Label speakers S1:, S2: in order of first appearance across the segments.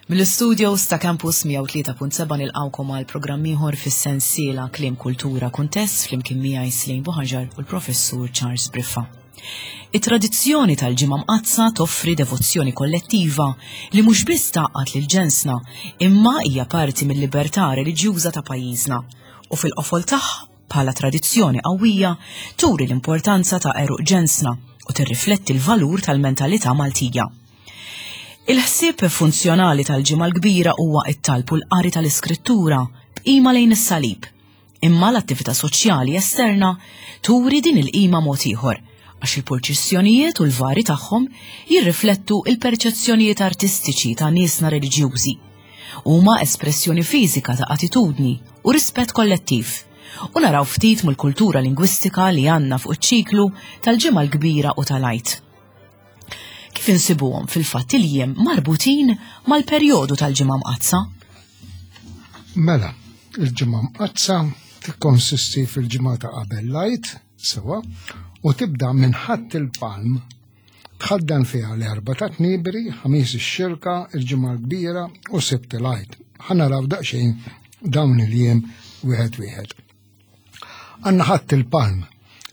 S1: Mill-istudios ta' Campus 103.7 nilqgħukom għal programm ieħor fis-sensiela Kliem Kultura Kuntest flimkien miegħi Slejn Buħaġar u l-Professur Charles Briffa. It-tradizzjoni tal-Ġimgħa Mqaddsa toffri devozzjoni kollettiva li mhux biss tgħaqqad lil ġensna, imma hija parti mill-libertà reliġjuża ta' pajjiżna u fil-qofol tagħha bħala tradizzjoni qawwija turi l-importanza ta' għeruq ġensna u tirrifletti l-valur tal-mentalità Maltija. Il-ħsieb funzjonali tal-Ġimgħa l-Kbira huwa t-talb u l-qari tal-Iskrittura b'qima lejn is-salib. Imma l-attività soċjali esterna turi din il-qima mod ieħor, għax il-purċissjonijiet u l-vari tagħhom jirriflettu il-perċezzjonijiet artistiċi ta' niesna reliġjużi. Huma espressjoni fiżika ta' attitudni u rispett kollettiv. U naraw ftit mill-kultura lingwistika li għandna fuq iċ-ċiklu tal-Ġimgħa l-Kbira u tal-Għid. Kif insibuhom fil-fatt il-jiem marbutin mal-perjodu tal-Ġimgħa Mqaddsa?
S2: Mela, il-Ġimgħa Mqaddsa tikkonsisti fil-ġimgħa ta' qabel l-Għid, sewa, u tibda minn Ħadd il-Palm tħaddan fiha l-Erbgħa ta' Tniebri, Ħamis ix-Xirka, il-Ġimgħa l-Kbira u Sibt il-Għid. Ħa naraw daqsxejn dawn il-jiem wieħed wieħed. Għandna Ħadd il-Palm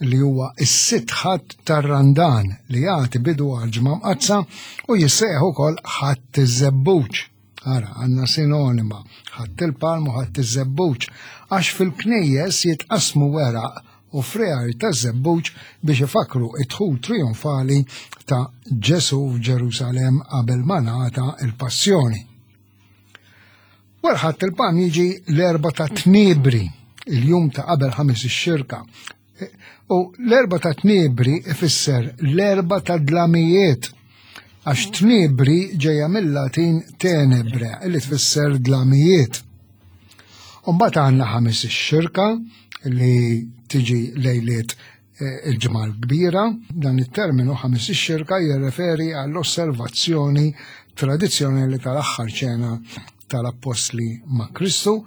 S2: li huwa s-sitt ħadd tar-Randan li jagħti bidu għal Ġimgħa Mqaddsa u jissejjaħ ukoll Ħadd iż-Żebbuġ. Ara, għandna sinonima, Ħadd il-Palm u Ħadd iż-Żebbuġ, għax fil-knejjes jitqassmu weraq u friegħi taż-żebbuġ biex ifakru id-dħul trionfali ta' Ġesù f'Ġerusalemm qabel ma ngħata l-passjoni. Wara Ħadd il-Palm jiġi l-Erbgħa ta' Tniebri, il-jum ta' qabel Ħamis ix-Xirka. U l-Erbgħa ta' Tniebri ifisser l-Erbgħa ta' dlamijiet, għax Tniebri ġejja mill-Latin tenebre, li tfisser dlamijiet. U mbagħad għandna Ħamis ix-Xirka li tiġi lejliet eh, il-Ġimgħa l-Kbira, dan it-terminu Ħamis ix-Xirka jirreferi għall-osservazzjoni tradizzjonali tal-aħħar ċena tal-Appostli ma' Kristu,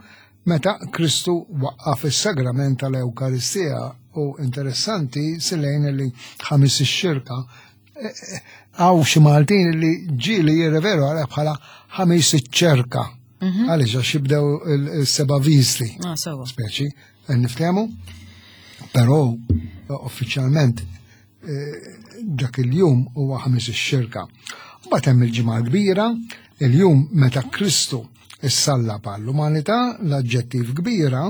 S2: meta Kristu waqqaf is-sagrament tal-Ewkaristija u interessanti silejn li Ħamis ix-Xirka eh, eh, għaw xi Maltin li ġieli jirreveru għalha bħala Ħamis iċ-ċerka. Mhm. Għaliex għax jibdew il-seba' viżli.
S1: Ah,
S2: Speċi, niftehmu. Però uffiċjalment eh, dak il-jum huwa ħamis ix-xirka. Mbagħad hemm il-ġimgħa kbira, il-jum meta Kristu issallab għall-umanità, l-aġġettiv kbira,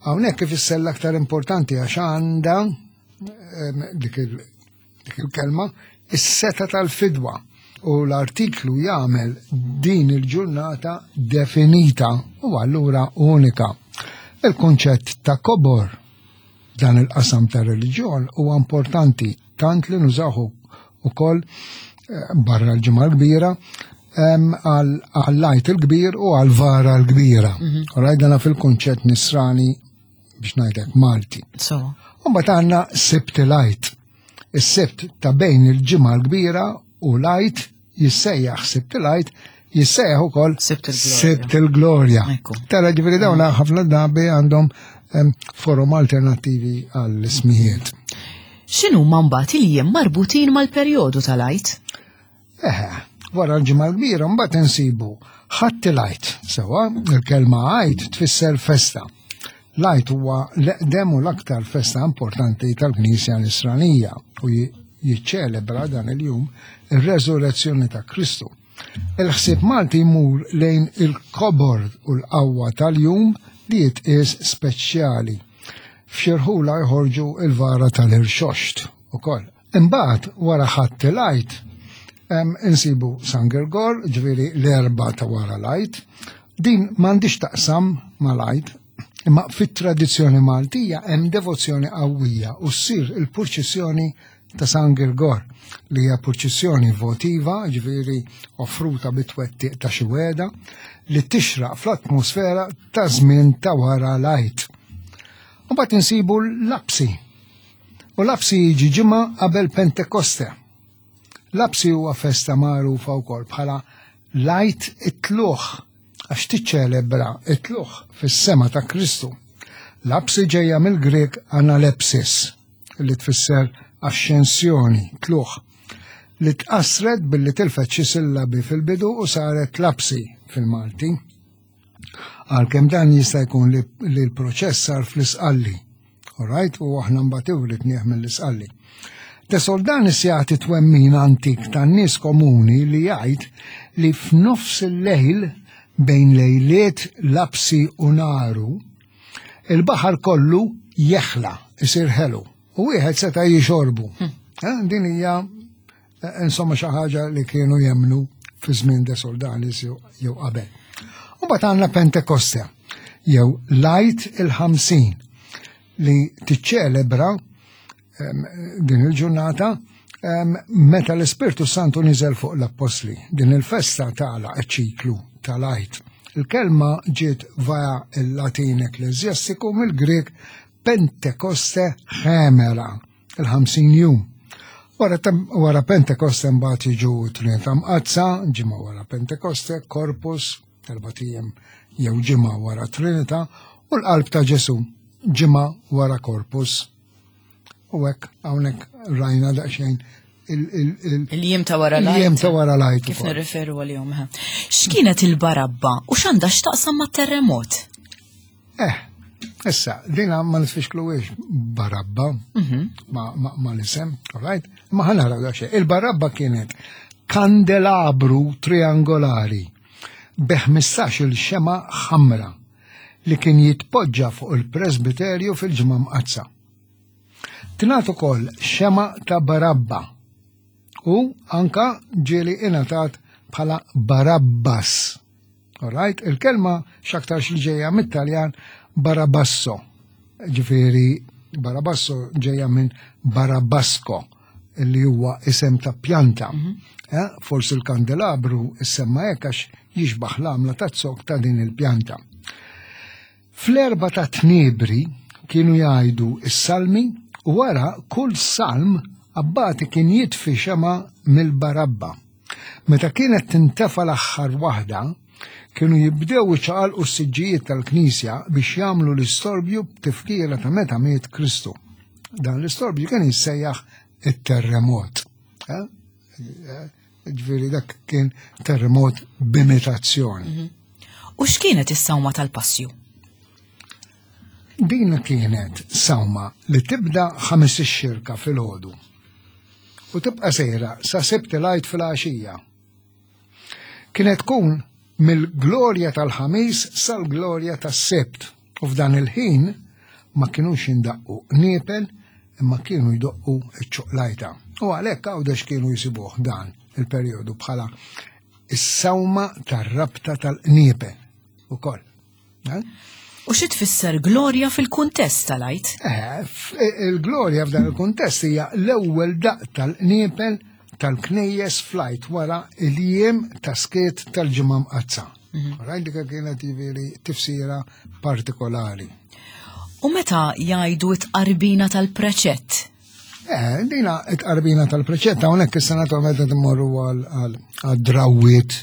S2: hawnhekk ifisser l-aktar importanti għax għandha ehm, dik il-kelma is-seta tal-fidwa u l-artiklu jagħmel din il-ġurnata definita u allura unika. Il-kunċett ta' kobor dan il-qasam ta' reliġjon huwa importanti tant li nużahu ukoll eh, barra l-ġimgħa l-kbira għall-lajt il-kbir u għall-vara l-kbira. Mhm. Rajt dana fil-kunċett nisrani biex ngħidlek Malti.
S1: So.
S2: U mbagħad għandna Sibt il-Għid. Is-Sibt ta' bejn il-Ġimgħa l-Kbira u l-Għid jissejjaħ Sibt il-Għid jissejjaħ ukoll Sibt il-Glorja. Tara ġifieri dawn mm. ħafna drabi għandhom forum alternattivi għall-ismijiet.
S1: X'inhu mbagħad il-jiem marbutin mal-perjodu tal-Għid?
S2: Eħe, wara l-ġimgħa l-kbira mbagħad insibu ħadd il-Għid. Sewwa, il-kelma Għid tfisser festa. L-Għid huwa l-eqdem u l-aktar festa importanti tal-Knisja Nisranija u jiċċelebra dan il-jum ir-reżurrezzjoni ta' Kristu. Il-ħsieb Malti jmur lejn il-kobor u l-qawwa tal-jum li jitqies speċjali. F'xi rħula jħorġu il-vara tal-irxoxt ukoll. Imbagħad wara Ħadd il-Għid insibu San Girgor, ġifieri l-Erbgħa ta' wara l-Għid. Din m'għandix taqsam mal-Għid, imma fit-tradizzjoni Maltija hemm devozzjoni qawwija u ssir il-purċissjoni ta' San Girgor li hija purċissjoni votiva, ġifieri offruta bit-twettiq ta' xi wegħda, li tixraq fl-atmosfera ta' żmien ta' wara l-Għid. U mbagħad insibu l-Lapsi U Lapsi jiġi ġimgħa qabel Pentekoste. Lapsi huwa festa magħrufa wkoll bħala l-Għid it-Tlugħ għax tiċċelebra it-tlugħ fis-sema ta' Kristu. Lapsi ġejja mill-Grieg analepsis li tfisser axxensjoni, tlugħ. li tqassret billi tilfet xi sillabi fil-bidu u saret lapsi fil-Malti. Għalkemm dan jista' jkun li l-proċess sar fl-Isqalli. Alright, u aħna mbagħad iwritnieh mill-Isqalli. De Soldanis jagħti twemmin antik tan-nies komuni li jgħid li f'nofs il-lejl bejn lejliet lapsi u naru, il-baħar kollu jeħla, isir ħelu, u wieħed seta' jixorbu. Eh, din hija eh, insomma xi ħaġa li kienu jemnu fi żmien De Soldanis jew qabel. U mbagħad għandna Pentekoste jew lajt il-50 li tiċċelebra din il-ġurnata meta l-Ispirtu Santu niżel fuq l-Appostli. Din il-festa tagħlaq iċ-ċiklu tal-Għid. Il-kelma ġiet vaja il-Latin ekklesjastiku mill-Grieg Pentekoste ħemera, il-50 jum. Wara, wara Pentekoste mbagħad jiġu Trinità Mqaddsa, ġimgħa wara Pentekoste, Corpus, erbat ijiem jew ġimgħa wara Trinità, u l-Qalb ta' Ġesù, ġimgħa wara Corpus. U hekk hawnhekk rajna daqsxejn
S1: il-jiem ta' wara lajt.
S2: Il-jiem ta' wara lajt.
S1: Kif nirreferu għalihom. X'kienet il-barabba u x'għandha x'taqsam mat-terremot?
S2: Eh, issa, dina ma nifixkluwiex barabba mhm. ma l-isem, all right? Ma ħanara daqsxejn. Il-barabba kienet kandelabru triangolari bi 15 il-xema ħamra li kien jitpoġġa fuq il-presbiterju fil-ġimgħa mqaddsa. Tingħad ukoll xema ta' Barabba u anka ġieli ingħatat bħala Barabbas. Alright, il-kelma x'aktarx li ġejja mit-Taljan Barabasso. Ġifieri Barabasso ġejja minn Barabasco li huwa isem ta' pjanta. Mm -hmm. eh, forsi l-kandelabru issemma hekk għax jixbaħ l-għamla ta' zok ta' din il-pjanta. Fl-erba ta' tniebri kienu jgħidu s-salmi u wara kull salm abbati kien jitfi xema mill-barabba. Meta kienet tintefa l-aħħar waħda, kienu jibdew iċaqalqu s-siġġijiet tal-knisja biex jagħmlu l-istorbju b'tifkira ta' meta miet Kristu. Dan l-istorbju kien jissejjaħ it-terremot. Eh? Eh, ġifieri dak kien terremot b'imitazzjoni. Mhm.
S1: U x'kienet is-sawma tal-passju?
S2: Din kienet sawma li tibda ħames ix-xirka fil-ħodu u tibqa' sejra sa Sibt il-Għid fil-għaxija. Kienet tkun mill-glorja tal-Ħamis sal-glorja tas-Sibt u f'dan il-ħin ma kinux jindaqqu qniepel imma kienu jdoqqu ċ-ċuqlajta. U għalhekk Għawdex kienu jsibuh dan il-perjodu bħala is-sawma tar-rabta tal-qniepel ukoll.
S1: Eh? U xi tfisser glorja fil-kuntest tal-Għid?
S2: Eh, il-glorja f'dan il-kuntest hija l-ewwel daq tal-qniepel tal-knejjes flajt wara il-jiem ta' skiet tal-ġimgħa mqaddsa. Mhm. Rajt dik kienet jiġifieri tifsira partikolari.
S1: U meta jgħidu t-qarbina tal-preċett?
S2: Eh, dina it-qarbina tal-preċett hawnhekk issa naturalment qed immorru għal-drawwiet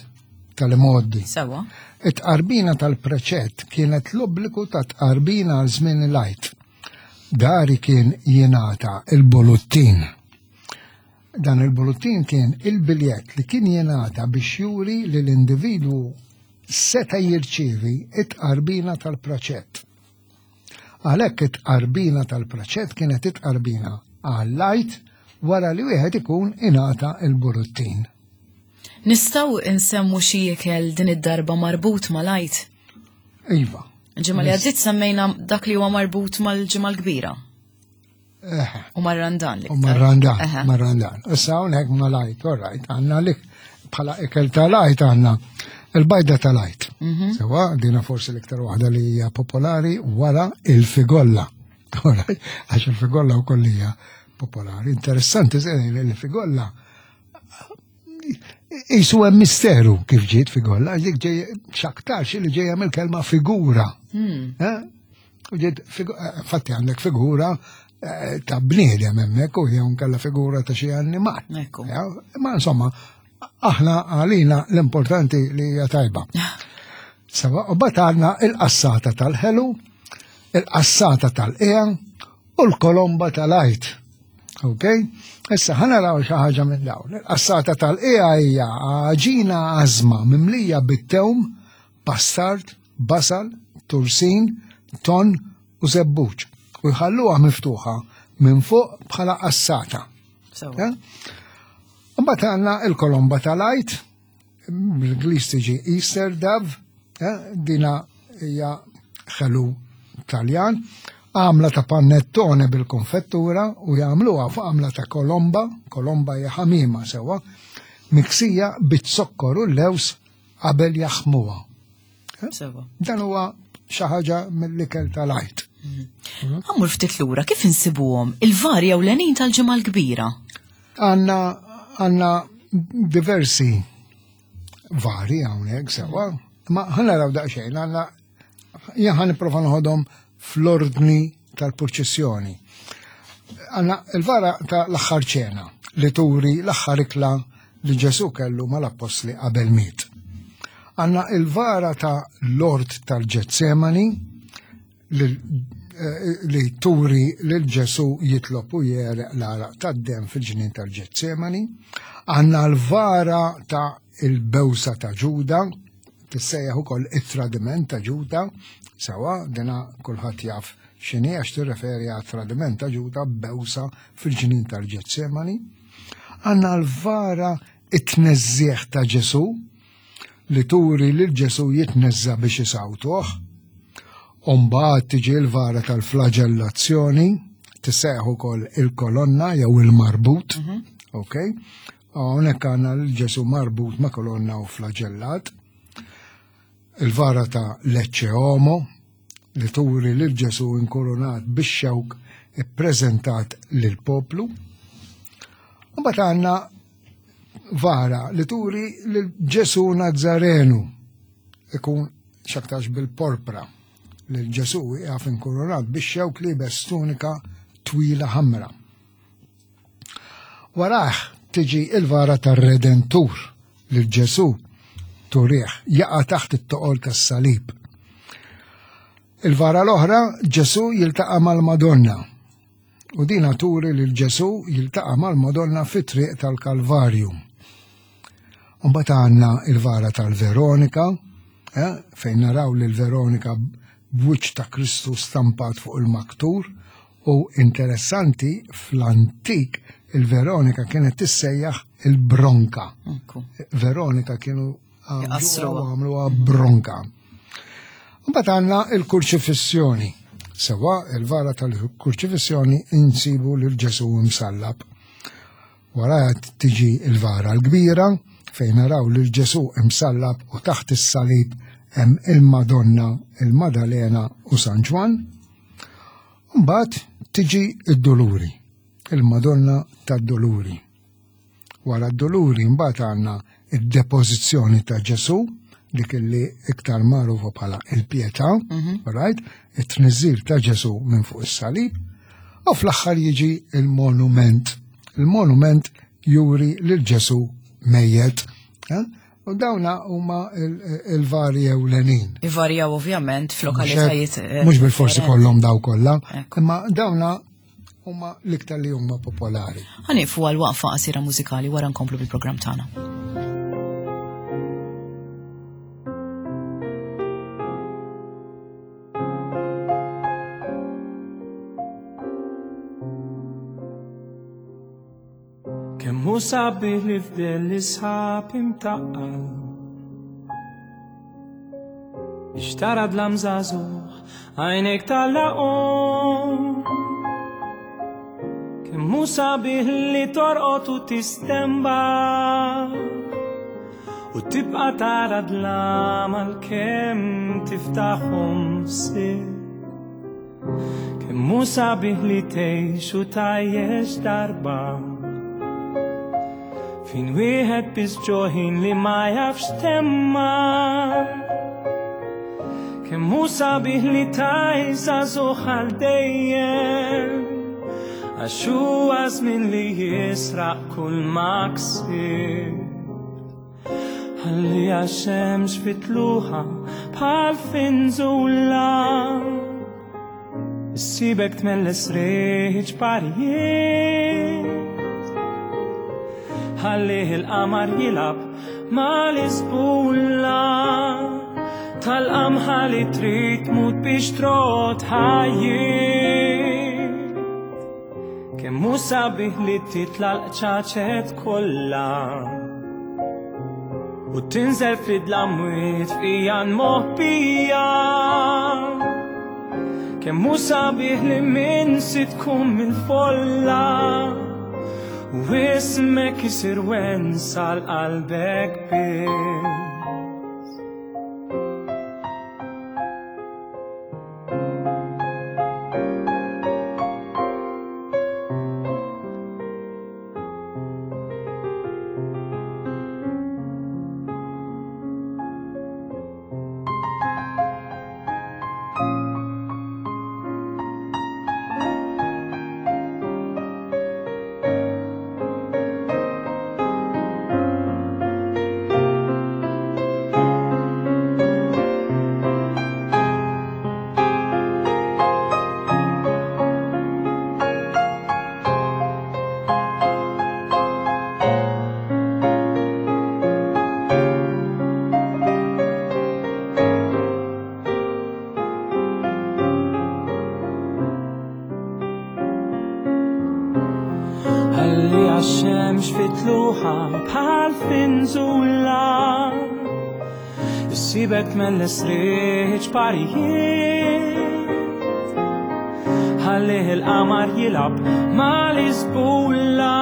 S2: tal-imgħoddi.
S1: Sewa.
S2: It-tqarbina tal-preċett kienet l-obbligu ta' tqarbina għal żmien il-Għid. Dari kien jingħata il-boluttin. Dan il-boluttin kien il-biljett li kien jingħata biex juri li l-individwu seta' jirċievi it-tqarbina tal-preċett. Għalhekk it-tqarbina tal-preċett kienet it-tqarbina għall-Għid wara li wieħed ikun ingħata l-buruttin.
S1: Nistgħu nsemmu xi ikel din id-darba marbut mal-Għid?
S2: Iva.
S1: Ġimgħa li għaddiet semmejna dak li huwa marbut mal-Ġimgħa l-Kbira. U marrandan
S2: li. U marrandan, marrandan. Issa hawnhekk mal-Għid, all right, għandna li bħala ikel tal-Għid għandna il-bajda tal-Għid. Mhm. Sewa, dina forsi l-iktar waħda li hija popolari wara il-figolla. Għax il-figolla wkoll hija popolari. Interessanti li l-figolla Isu hemm misteru kif ġiet figolla, għax dik ġej x'aktarx li ġejja mill-kelma figura. Hmm. Eh? U ġiet eh, fatti għandek figura eh, ta' bniedem hemmhekk u jew nkella figura ta' xi annimal. Ma insomma, aħna għalina l-importanti li hija tajba. Sawa, u bat għandna il-qassata tal-ħelu, il-qassata tal-qija u l-kolomba tal-għajt. Ok? Issa ħa naraw xi ħaġa minn dawn. Il-qassata tal-qiegħa hija għaġina għażma mimlija bit-tewm, pastard, basal, tursin, ton u żebbuġ u jħalluha miftuħa minn fuq bħala qassata. Eh? Mbagħad għandna il-kolomba tal-għajt, bl-Ingliż tiġi Easter Dove, eh, dina hija ħelu Taljan, għamla ta' panettone bil-konfettura u jagħmluha fuq għamla ta' kolomba, kolomba hija ħamima sewwa, miksija bit-zokkor u l-lews qabel jaħmuha. Eh? Dan huwa xi ħaġa mill-ikel tal-għajt.
S1: Mhm. Għammur ftit lura kif insibuhom il-varja u l-għenin tal-ġimgħa l-kbira?
S2: Għanna għanna diversi vari hawnhekk sewa, ma ħana raw daqsxejn għandna jien ħan nipprova noħodhom fl-ordni tal-purċissjoni. Għanna il-vara ta' l-aħħar ċena li turi l-aħħar ikla li Ġesu kellu mal-appostli qabel miet. Għanna il-vara ta' l-ort tal-Ġetsemani li, eh, li turi lil Ġesu jitlob u jereq l-għaraq tad-dem fil-ġnien tal-Ġetsemani. Għanna l-vara ta' il-bewsa ta' Ġuda, tissejjaħ ukoll it-tradiment ta' Ġuda, sewa dina kulħadd jaf x'inhi għax tirreferi għat tradiment ta' Ġuda bewsa fil-ġnien tal-Ġetsemani. Għandna l-vara it-tneżżieħ ta' Ġesu li turi lil Ġesu jitneżża biex isawtuh. Umbagħad tiġi l-vara tal-flagellazzjoni, tissejjaħ ukoll il-kolonna jew il-marbut, mhm. ok? Hawnhekk għandna lil Ġesu marbut ma' kolonna u flagellat. Il-vara ta' Lecce Homo li turi lil Ġesu inkoronat bix-xewk ippreżentat lill-poplu. Mbagħad għandna vara li turi lil Ġesu Nazzarenu ikun xaktax bil-porpra lil Ġesu jgħaf inkoronat bix-xewk libes tunika twila ħamra. Warah tiġi il-vara tar-Redentur lil Ġesù turih jaqa' taħt it-toqol tas-salib. Il-vara l-oħra Ġesù jiltaqa' mal-Madonna u dina turi lil Ġesù jiltaqa' mal-Madonna fit-triq tal-Kalvarju. Mbagħad għandna il-vara tal-Veronika, eh, fejn naraw lil Veronika b'wiċċ ta' Kristu stampat fuq il-maktur U interessanti, fl-antik il-Veronika kienet tissejjaħ il-Bronka. Veronika kienu għamluha bronka. Mbagħad għandna il-kurċifissjoni. Sewa il-vara tal-kurċifissjoni insibu lil Ġesu msallab. Wara tiġi il-vara l-kbira fejn naraw lil Ġesu imsallab u taħt is-salib hemm il-Madonna, il-Madalena u San Ġwann. Mbagħad tiġi d-Duluri, il-Madonna tad-Duluri. Wara d-Duluri mbagħad għandna id-depożizzjoni ta' Ġesu, dik li iktar magħrufa bħala il-pietà, mhm. right? It-tniżżil ta' Ġesu minn fuq is-salib, u fl-aħħar jiġi il-monument. Il-monument juri lil Ġesu mejjet. Eh? U dawna huma il-vari ewlenin.
S1: Ivarjaw ovvjament f'lokalitajiet.
S2: Eh, mhux bil-forsi kollhom daw kollha, imma dawna huma l-iktar li huma popolari.
S1: Ħanifu għal waqfa qasira mużikali wara nkomplu bil-programm tagħna.
S3: Kemm hu sabiħ li fdel l-isħab imtaqqal Biex tara dlam żagħżugħ għajnejk tal-laqom Kemm hu sabiħ li torqod u tistemba U tibqa' tara dlam għalkemm tiftaħhom sir Kemm hu sabiħ li tgħix u tgħajjex darba. Fin wieħed biss ġoħin li ma jafx temma. Kemm hu sabiħ li tgħix żagħżugħ għal dejjem. Għax huwa żmien li jisraq kull ma ksibt. Ħalli għax-xemx fit-tluħa bħal finżula. Issibek tmelles riħ ċparijiet. Ħallih il-qamar jilgħab mal-isbulla tal-qamħa li trid tmut biex trot ħajjiet. Kemm hu sabiħ li titla' l-qċaċet kollha u tinżel fid-dlamwiet f'ijan moħbija. Kemm hu sabiħ li minn si tkun mill-folla u ismek isir wens għal qalbek biss. Ħalli għax-xemx fitluħa bħal finżula Issibek tmelles riħ parijiet Ħallih il-qamar jilgħab mal-isbulla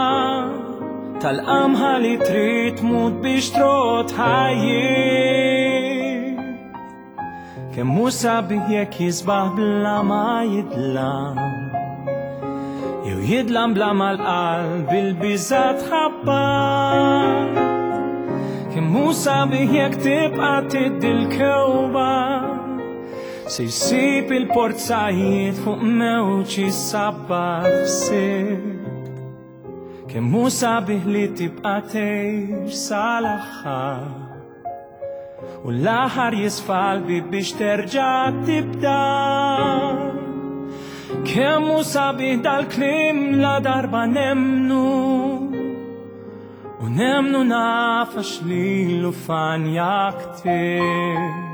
S3: tal-qamħa li trid tmut biex trot ħajjiet. Kemm hu sabiħ jekk jisbaħ bla ma jidlam. Jew jidlam bla ma l-qalb il-biża' tħabbat. Kemm hu sabiħ jekk tibqa' tiddi l-kewba. Se jsib il-porzajiet fuq mewġ jissabbat f'sibt. Kemm hu sabiħ li tibqa' tgħix sal-aħħar. U l-aħħar jisfa' l-bieb biex terġa' tibda. Kemm hu sabiħ dal-kliem la darba nemmnu. U nemmnu naf għax lilu fanja ktibt.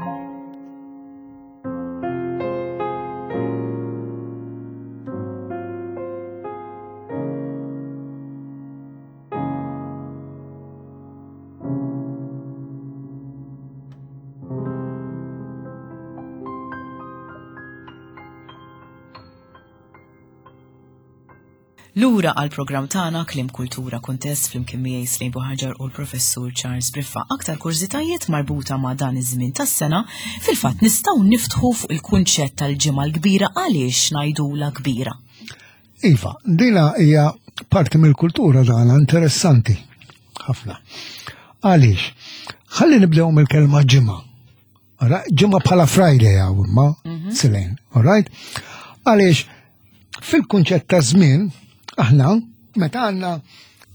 S1: Lura għal programm tagħna Kliem Kultura Kuntest flimkien miegħi Slejn Buħaġar u l-Professur Charles Briffa. Aktar kurżitajiet marbuta ma' dan iż-żmien tas-sena, fil-fatt nistgħu niftħu fuq il-kunċett tal-ġimgħa l-kbira għaliex ngħidula kbira.
S2: Iva, dina hija parti mill-kultura tagħna interessanti ħafna. Għaliex? Ħalli nibdew mill-kelma ġimgħa. Ġimgħa bħala Friday hawn imma, mhm. Silejn, all right? Għaliex fil-kunċett ta' żmien aħna meta għandna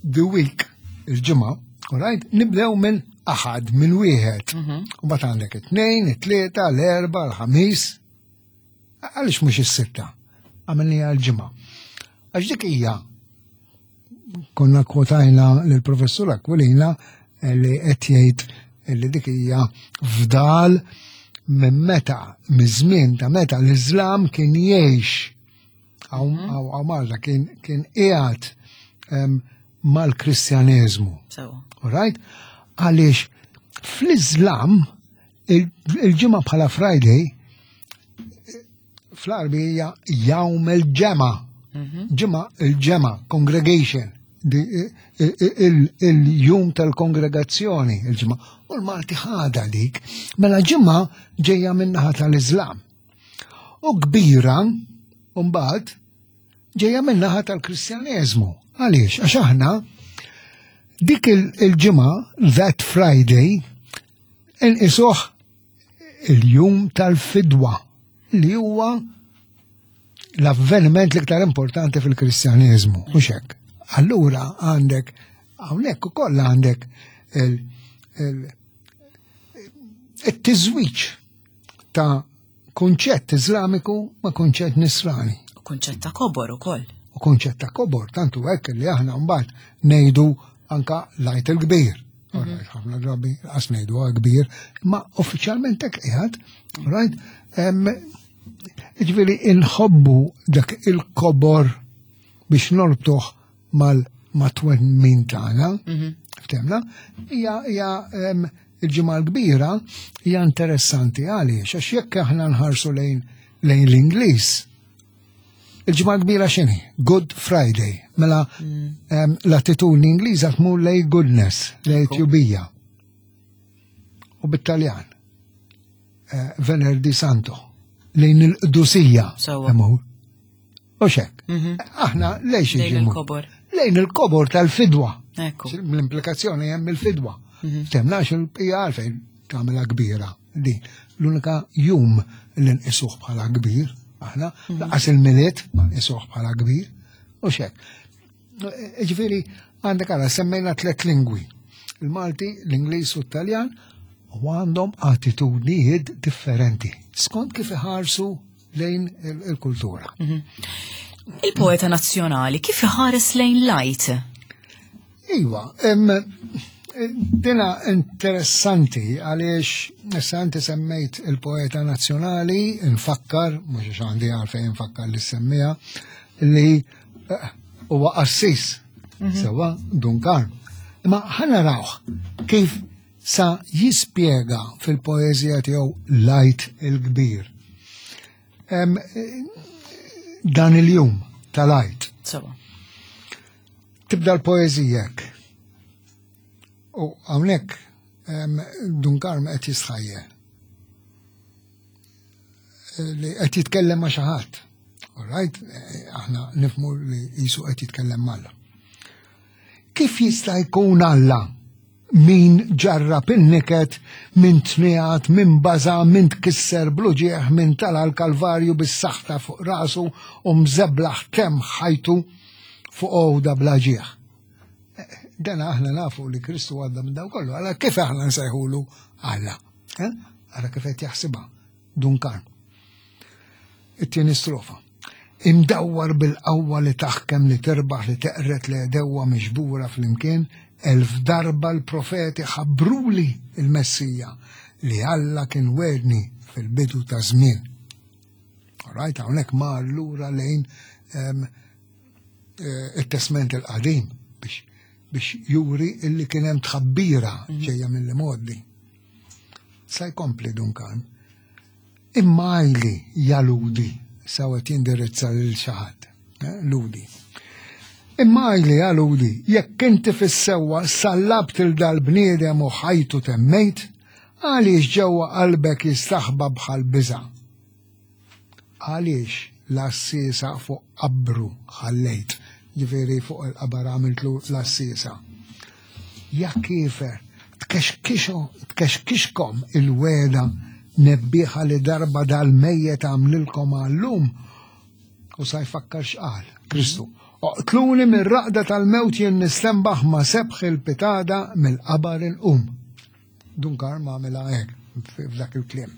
S2: the week il-ġimgħa, all right? Nibdew minn aħad, minn wieħed. Mhm. U bat għandek it-tnejn, it-tlieta, l-erba, l-ħamis, Għaliex mhux is-sitta? Għamilniha l-ġimgħa. Għax dik hija konna kwotajna lill-professur Aquilina eh, li qed jgħid li dik hija fdal minn meta, miż-żmien ta' meta l-Iżlam kien jgħix hawn mhm. Malta kien kien qiegħed mal-Kristjaneżmu. All right? Għaliex fl-Iżlam Il-ġimgħa bħala Friday fl-Arbi hija jawm il-ġemgħa. Mhm. Ġimgħa il-ġemgħa, congregation, il-jum tal-kongregazzjoni, il-ġimgħa. U l-Malti ħada dik, mela ġimgħa ġejja min-naħa tal-Iżlam. U kbira, mbagħad ġejja min-naħa tal-Kristjaneżmu. Għaliex? Għax aħna dik il-ġimgħa, that Friday, Inqisuh il-jum tal-fidwa li huwa l-avveniment l-iktar importanti fil-Kristjaneżmu, mhux hekk. Allura għandek hawnhekk ukoll għandek il-tiżwiġ ta' Kunċett Iżlamiku ma' kunċett Nisrani.
S1: U kunċett ta' kobor ukoll.
S2: U kunċett ta' kobor, tantu hekk li aħna mbagħad ngħidu anka l-Għid il-Kbir. Mhm. Ħafna drabi qas ngħidu kbir, ma uffiċjalment hekk qiegħed, right? Ġifieri inħobbu dak il-kobor biex norbtuh mal mat-twemmin tagħna. Mhm. Ftemna? Hija hija il-ġimgħa l-kbira hija interessanti għaliex għax jekk aħna nħarsu lejn lejn l-Ingliż. Il-ġimgħa kbira x'inhi? Good Friday. Mela mm. l-attitudni Ingliża tmur lej goodness, lej tjubija. U bit-Taljan. Eh, Venerdì Santo. Lejn il-qdusija. U xek. Mhm. Aħna lejx
S1: Lejn il-kobor.
S2: Lejn il-kobor tal-fidwa. L-implikazzjoni hemm il-fidwa. Mhm. Temnax il-bqija għalfejn tagħmilha kbira. Din l-unika jum li nqisuh bħala kbir, aħna, mhm. laqas il-miliet ma nqisuh bħala kbir, u xek. Ġifieri għandek għala semmejna tlet lingwi. Il-Malti, l-Ingliż u t-Taljan u għandhom attitudnijiet differenti. Skont kif iħarsu lejn il-kultura. Mhm.
S1: Il-poeta nazzjonali kif iħares lejn lajt?
S2: Iva, dina interessanti għaliex issa inti semmejt il-poeta nazzjonali, nfakkar, mhux għax għandi għalfejn nfakkar li semmija, li eh, huwa qassis, mhm. sewa Dun Karm. Imma ħa narawh kif sa jispjega fil-poeżija tiegħu l-Għid il-Kbir. Dan il-jum tal-Għid. Tibda l-poeżija hekk. U hawnhekk Dun Karm qed jistħajjel. Li qed jitkellem ma' xi ħadd. All right, aħna nifmu li jisu qed jitkellem m'Alla. Kif jista' jkun Alla min ġarrab in-niket, min tniegħed, min baża', min tkisser bl-uġigħ, min tala' l-Kalvarju bis-saħta fuq rasu u mżeblaħ temm ħajtu fuq għoda bla ġieħ? Dan aħna nafu li Kristu għadda minn dawn kollu, għala kif aħna nsejħulu Alla? Eh? Ara kif qed jaħsibha Dun Karm. It-tieni strofa. Imdawwar bil-qawwa li taħkem li tirbaħ li teqred l-għedewwa miġbura flimkien, 1000 darba l-profeti ħabbruli l-Messija li Alla kien wegħdni fil-bidu ta' żmien. Alright, hawnhekk mar lura lejn ehm, eh, it-Testment il-Qadim biex biex juri illi kien hemm tħabbira mhm. ġejja mill-imgħoddi. Sa jkompli Duncan. Imma għajli ja Ludi, sawet jindirizza lil xi ħadd, eh, Ludi. Imma għajli ja Ludi, jekk inti fis-sewwa sallabt il dal-bniedem u ħajtu temmejt, għaliex ġewwa qalbek jistaħba bħal biża'? Għaliex l-għassiesa fuq qabru ħallejt, ġifieri fuq il-qabar għamiltlu l-għassiesa. Ja kiefer, tkexkixkom il-wegħda nebbieħa li darba dal-mejjet għamlilkom għallum u sa jfakkar x'qal Kristu. Oqtluni mir-raqda tal-mewt jien nistenbaħ ma sebħ il-pitada mill-qabar inqum. Dun Karm għamilha hekk f'dak il-kliem.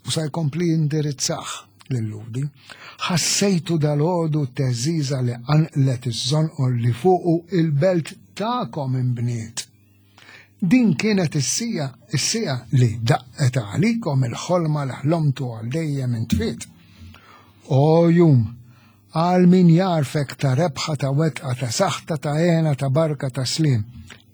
S2: U sa jkompli jindirizzah lil-Lhudi. Ħassejtu dalgħodu t-teżżiża li qanqlet iż-żonqor li fuqu il-belt tagħkom inbniet. Din kienet is-sija, is-siegħa li daqqet għalikom il-ħolma li ħlomtu għal dejjem intfiet. O jum, Għal min jagħrfek ta' rebħa ta' wetqa ta' saħta ta' hena ta' barka ta' sliem.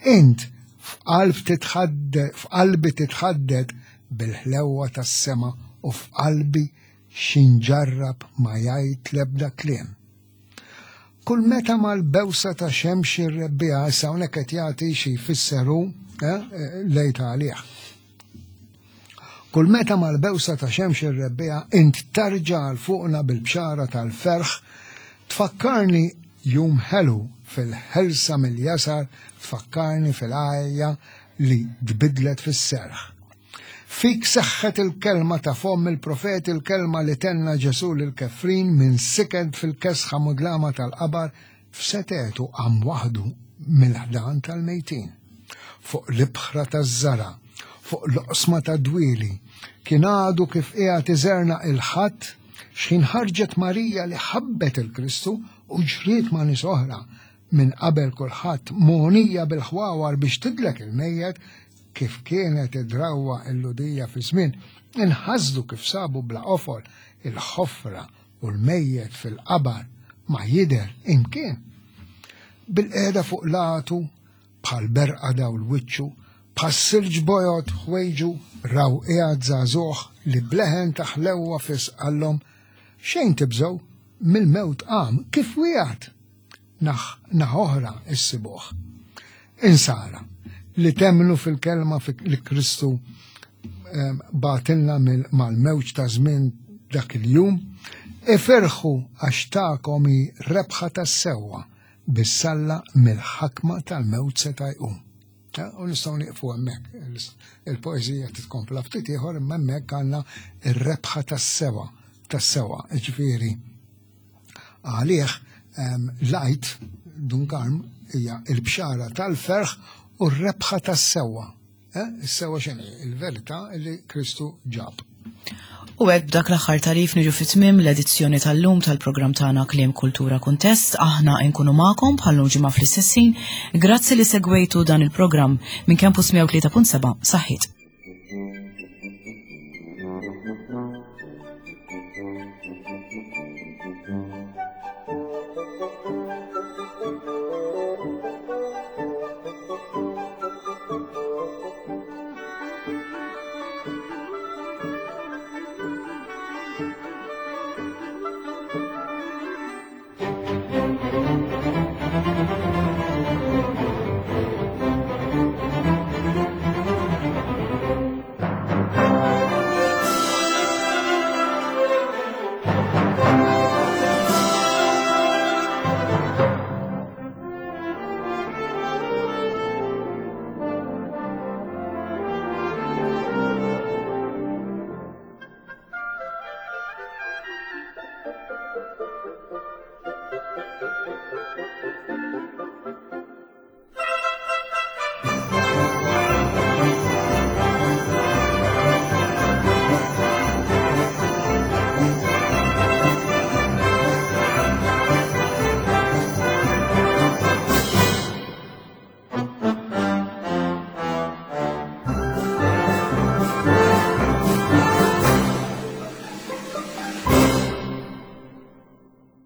S2: Int f'qalb titħadded f'qalbi titħadded bil-ħlewwa tas-sema u f'qalbi xi nġarrab ma jgħid l-ebda kliem. Kull meta mal-bewsa ta' xemx ir-rebbiegħa issa hawnhekk qed jagħti xi jfisser hu eh, lejt għalih. Kull meta mal-bewsa ta' xemx ir-rebbiegħa int tarġa' għal fuqna bil-bxara tal-ferħ, tfakkarni jum ħelu fil-ħelsa mill-jasar, tfakkarni fil-għajja li tbiddlet fis-serħ. Fik seħħet il-kelma ta' fomm il-profeti l-kelma li tenna Ġesù lill-kefrin minn siket fil-kesħa mudlama tal-qabar F'setgħetu qam waħdu mill-ħdan tal-mejtin. Fuq l-ibħra taż-żara', fuq l-oqsma tad-dwieli, Kien għadu kif qiegħed iżerna il-ħadd x'ħin ħarġet Marija li ħabbet il-Kristu u ġriet ma' nies oħra minn qabel kulħadd mogħnija bil-ħwawar biex tidlek il-mejjet kif kienet id-drawwa l-Lhudija fi żmien inħasdu kif sabu bla qofol il-ħofra u l-mejjet fil-qabar ma jidher imkien. Bil-qiegħda fuq latu bħal berqa dawl wiċċu, bħas-silġ bojod ħwejġu raw qiegħed żagħżugħ li bleħen ta' ħlewwa fis qallhom xejn tibżgħu mill-mewt qam kif wiegħed naħ naħa oħra issibuh. Insara li temmnu fil-kelma li Kristu ehm, batilna mal-mewġ ta' żmien dak il-jum, iferħu għax tagħkom hi rebħa tas-sewwa bissalla mill-ħakma tal-mewt seta' jqum. U nistgħu nieqfu hemmhekk. Il-poeżija titkompla ftit ieħor imma hemmhekk għandna ir-rebħa tas-sewa, tas-sewa, ġifieri għalih l-Għid Dun Karm hija l-bxara tal-ferħ u r-rebħa tas-sewwa. Eh, is-sewwa x'inhi? Il-verità li Kristu ġab.
S1: U hekk b'dak l-aħħar tarif niġu fi tmiem l-edizzjoni tal-lum tal-programm tagħna Kliem Kultura Kuntest. Aħna nkunu magħkom bħal-lum ġimgħa fl-istessin. Grazzi li segwejtu dan il-programm minn Campus 103.7 Saħħit.